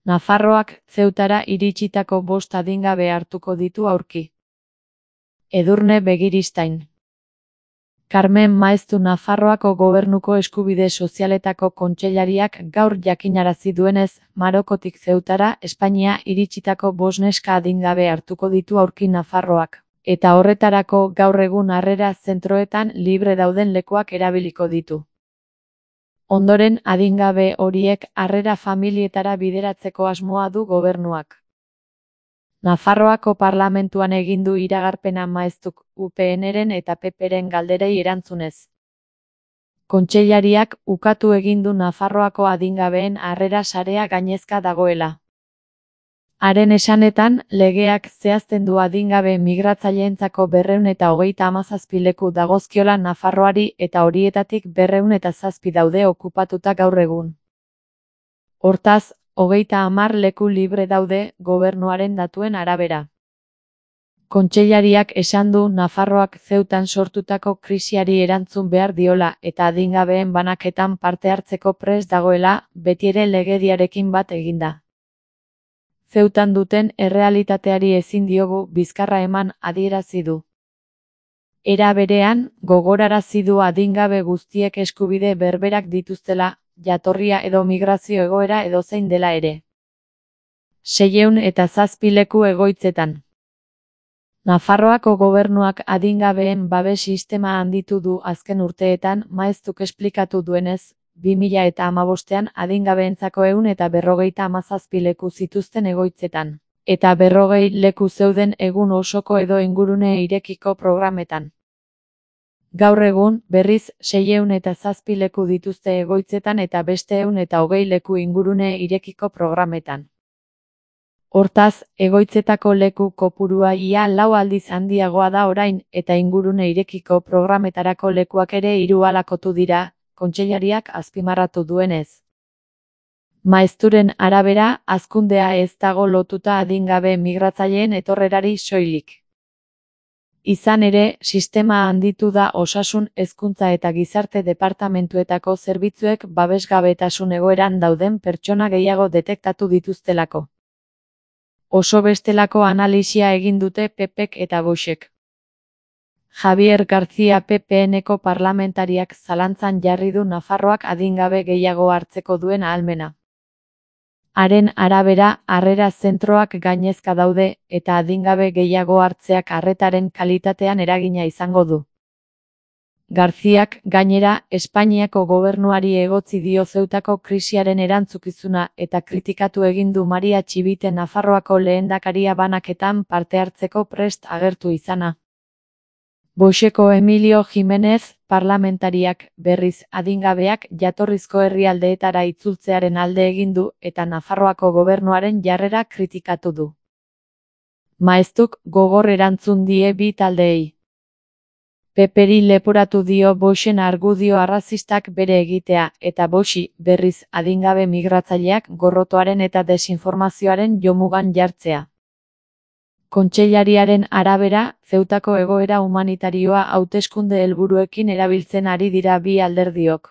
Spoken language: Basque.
Nafarroak Zeutara iritsitako 5 adingabe hartuko ditu aurki. Edurne Begiristain. Carmen Maeztu Nafarroako Gobernuko Eskubide Sozialetako kontseilariak gaur jakinarazi duenez, Marokotik Zeutara Espainia iritsitako 5 neska adingabe hartuko ditu aurki Nafarroak, eta horretarako gaur egun harrera zentroetan libre dauden lekuak erabiliko ditu. Ondoren adingabe horiek harrera familietara bideratzeko asmoa du gobernuak. Nafarroako parlamentuan egin du iragarpena Maeztuk UPNren eta PPren galderei erantzunez. Kontseilariak ukatu egin du Nafarroako adingabeen harrera sarea gainezka dagoela. Haren esanetan, legeak zehazten du adingabe migratzaileentzako 237 leku dagozkiola Nafarroari eta horietatik 207 daude okupatuta gaur egun. Hortaz, 30 leku libre daude gobernuaren datuen arabera. Kontseilariak esan du Nafarroak Zeutan sortutako krisiari erantzun behar diola eta adingabeen banaketan parte hartzeko prest dagoela, betiere legediarekin bat eginda. Zeutan duten errealitateari ezin diogu bizkarra eman adierazi du. Era berean, gogorarazi du adingabe guztiek eskubide berberak dituztela, jatorria edo migrazio egoera edozein dela ere. 607 leku egoitzetan. Nafarroako gobernuak adingabeen babes sistema handitu du azken urteetan, Maeztuk esplikatu duenez, 2015ean adingabeentzako 157 leku zituzten egoitzetan, eta 40 leku zeuden egun osoko edo ingurune irekiko programetan. Gaur egun, berriz, 607 leku dituzte egoitzetan eta beste 120 leku ingurune irekiko programetan. Hortaz, egoitzetako leku kopurua ia 4 aldiz handiagoa da orain, eta ingurune irekiko programetarako lekuak ere 3 alakotu dira, kontseilariak azpimarratu duenez. Maezturen arabera, hazkundea ez dago lotuta adingabe migratzaileen etorrerari soilik. Izan ere, sistema handitu da osasun, hezkuntza eta gizarte departamentuetako zerbitzuek babesgabetasun egoeran dauden pertsona gehiago detektatu dituztelako. Oso bestelako analisia egin dute PPek eta Voxek. Javier García PPNeko parlamentariak zalantzan jarri du Nafarroak adingabe gehiago hartzeko duen ahalmena. Haren arabera, harrera zentroak gainezka daude, eta adingabe gehiago hartzeak arretaren kalitatean eragina izango du. Garziak, gainera, Espainiako gobernuari egotzi dio Zeutako krisiaren erantzukizuna eta kritikatu egin du Maria Txibite Nafarroako lehendakaria banaketan parte hartzeko prest agertu izana. Voxeko Emilio Jimenez, parlamentariak, berriz, adingabeak jatorrizko herrialdeetara itzultzearen alde egin du eta Nafarroako gobernuaren jarrera kritikatu du. Maeztuk gogor erantzun die bi taldeei. PPri leporatu dio Voxen argudio arrazistak bere egitea, eta Voxi, berriz, adingabe migratzaileak gorrotoaren eta desinformazioaren jomugan jartzea. Kontseilariaren arabera, Zeutako egoera humanitarioa hauteskunde helburuekin erabiltzen ari dira bi alderdiok.